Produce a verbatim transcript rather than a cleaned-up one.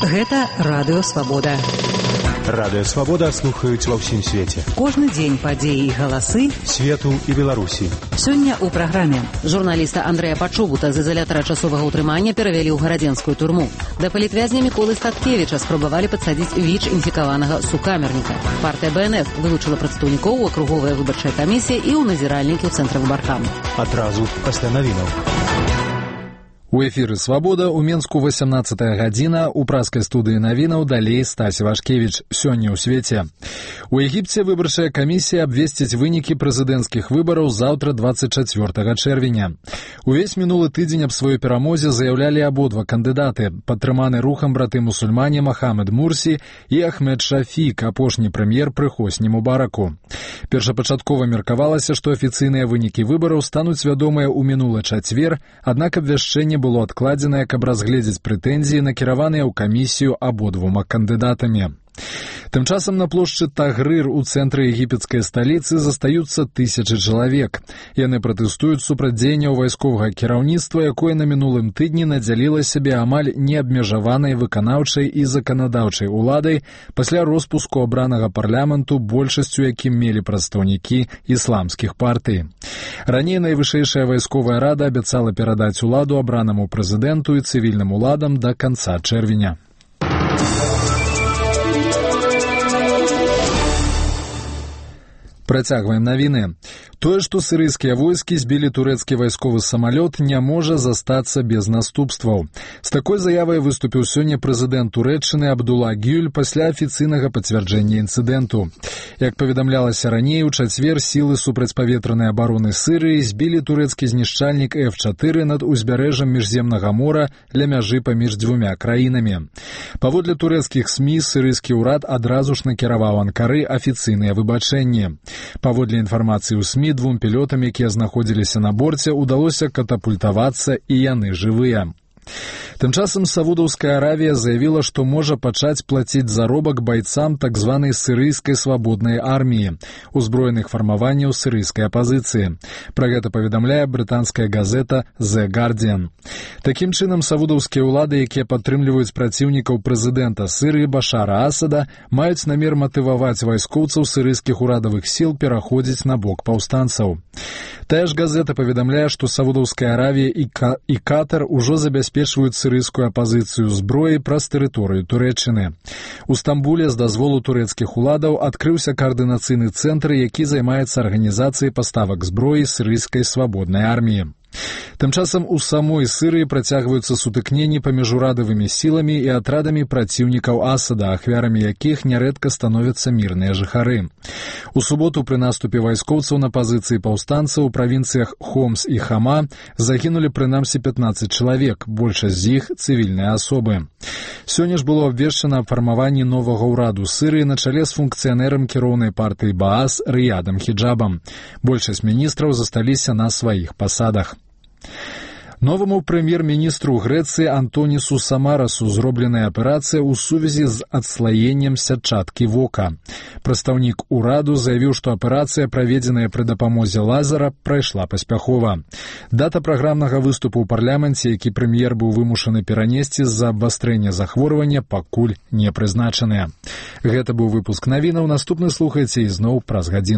Гэта Радыё Свабода. Радыё Свабода слухаюць ва ўсім свеце. Кожны дзень падзеі і галасы свету і Беларусі. Сёння ў праграме. Журналіста Андрэя Пачобута з ізалятара часовага ўтрымання перавялі ў гарадзенскую турму. Да палітвязня Міколы Статкевіча спрабавалі падсадзіць ВІЧ інфікаванага сукамерніка. Партыя Бэ Эн Эф вылучыла прадстаўнікоў у акруговая выбарчая камісія і ў назіральнікі ў цэнтры выбаркам. Адразу пасля навінаў. У эфіры «Свабода» у Менску восемнадцатая гадзіна, у праскай студыі навінаў далей Стась Вашкевіч. Сёння ў свеце. У Егіпце выбарчая камісія абвесціць вынікі прэзідэнцкіх выбараў заўтра двадцать чацвёртага чэрвеня. Увесь минулы тыдзень аб сваёй перамозе заяўлялі абодва кандыдаты, падтрыманы рухам браты-мусульмане Махамед Мурсі і Ахмед Шафік, апошні прэм'ер пры Хосні Мубараку. Першапачаткова меркавалася, што афіцыйныя вынікі выбараў стануць вядомыя ў мінулы чацвер, аднак абвяшчэнне было адкладзенае, каб разгледзець прэтэнзіі, накіраваныя ў камісію абодвума кандыдатамі. Тым часам на плошчы Тагрыр у цэнтры егіпецкай сталіцы застаюцца тысячы чалавек. Яны пратэстуюць супраць дзеянняў вайсковага кіраўніцтва, якое на мінулым тыдні надзяліла сябе амаль неабмежаванай выканаўчай і заканадаўчай уладай пасля роспуску абранага парламенту, большасцю якім мелі прадстаўнікі ісламскіх партый. Раней найвышэйшая вайсковая рада абяцала перадаць уладу абранаму прэзідэнту і цывільным уладам да канца чэрвеня. Працягваем навіны. Тое, што сірыйскія войскі збілі турэцкі вайсковы самалёт, не можа застацца без наступстваў. З такой заявай выступіў сёння прэзідэнт Турэччыны Абдулла Гюль пасля афіцыйнага пацвярджэння інцыдэнту. Як паведамлялася раней, у чацвер сілы супрацьпаветранай абароны Сырыі збілі турэцкі знішчальнік эф чатыры над узбярэжжам міжземнага мора ля мяжы паміж дзвюмя краінамі. Паводле турэцкіх СМІ, сірыйскі ўрад адразу ж накіраваў Анкары афіцыйныя выбачэнні. Паводле інфармацыі ў СМІ, двум пілотам, якія знаходзіліся на борце, удалося катапультавацца, і яны жывыя. Тым часам Саудаўская Аравія заявіла, што можа пачаць плаціць заробак байцам так званай сірыйскай свабоднай арміі, узброеных фармаванняў сірыйскай апазіцыі. Пра гэта паведамляе брытанская газета «The Guardian». Такім чынам, саудаўскія ўлады, якія падтрымліваюць праціўнікаў прэзідэнта Сырыі Башара Асада, маюць намер матываваць вайскоўцаў сірыйскіх урадавых сіл пераходзіць на бок паўстанцаў. Тая ж газета паведамляе, што Саудаўская Аравія і, Ка- і Катар ужо забяспечваюць сірыйскую апазіцыю зброі праз тэрыторыю Турэччыны. У Стамбуле з дазволу турэцкіх уладаў адкрыўся каардынацыйны цэнтр, які займаецца арганізацыяй паставак зброі сірыйскай свабоднай арміі. Тым часам у самой Сырыі працягваюцца сутыкненні паміж урадавымі сіламі і атрадамі праціўнікаў Асада, ахвярамі якіх нярэдка становяцца мірныя жыхары. У суботу пры наступе вайскоўцаў на пазіцыі паўстанцаў у правінцыях Хомс і Хама загінулі прынамсі пятнаццаць чалавек, большасць з іх цывільныя асобы. Сёння ж было абвешчана аб фармаванні новага ўраду Сырыі на чале з функцыянерам кіроўнай партыі Баас Рыядам Хіджабам. Большасць міністраў засталіся на сваіх пасадах. Новаму прэм'ер-міністру Грэцыі Антонісу Самарасу зробленая аперацыя ў сувязі з адслаеннем сятчаткі вока. Прадстаўнік ураду заявіў, што аперацыя, праведзеная пры дапамозе лазера, прайшла паспяхова. Дата праграмнага выступу ў парламенце, які прэм'ер быў вымушаны перанесці з-за абвастрэння захворвання, пакуль не прызначаная. Гэта быў выпуск навінаў. Наступны слухайце ізноў праз гадзіну.